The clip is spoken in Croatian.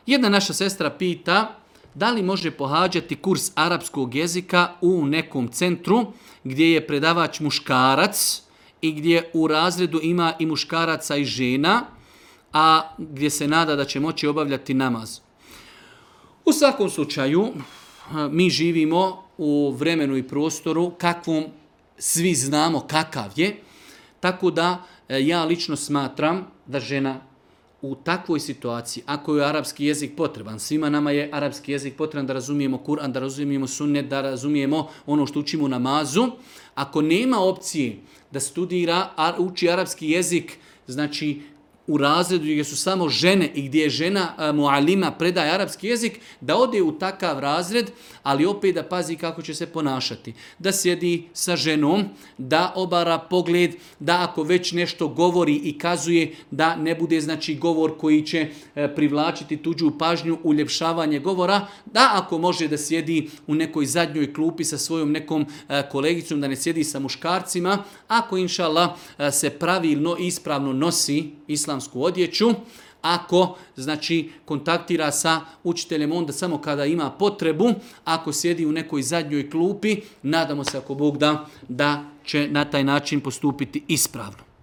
Jedna naša sestra pita da li može pohađati kurs arapskog jezika u nekom centru gdje je predavač muškarac i gdje u razredu ima i muškaraca i žena, a gdje se nada da će moći obavljati namaz. U svakom slučaju, mi živimo u vremenu i prostoru kakvom svi znamo kakav je, tako da ja lično smatram da žena u takvoj situaciji, ako je arapski jezik potreban, svima nama je arapski jezik potreban da razumijemo Kur'an, da razumijemo sunnet, da razumijemo ono što učimo u namazu, ako nema opcije da studira, uči arapski jezik, znači u razredu gdje su samo žene i gdje je žena mualima predaje arapski jezik, da ode u takav razred, ali opet da pazi kako će se ponašati. Da sjedi sa ženom, da obara pogled, da ako već nešto govori i kazuje, da ne bude znači govor koji će privlačiti tuđu pažnju, uljepšavanje govora, da ako može da sjedi u nekoj zadnjoj klupi sa svojom nekom kolegicom, da ne sjedi sa muškarcima, ako inša Allah se pravilno i ispravno nosi islamsku odjeću, ako znači kontaktira sa učiteljem onda samo kada ima potrebu, ako sjedi u nekoj zadnjoj klupi, nadamo se ako Bog da će na taj način postupiti ispravno.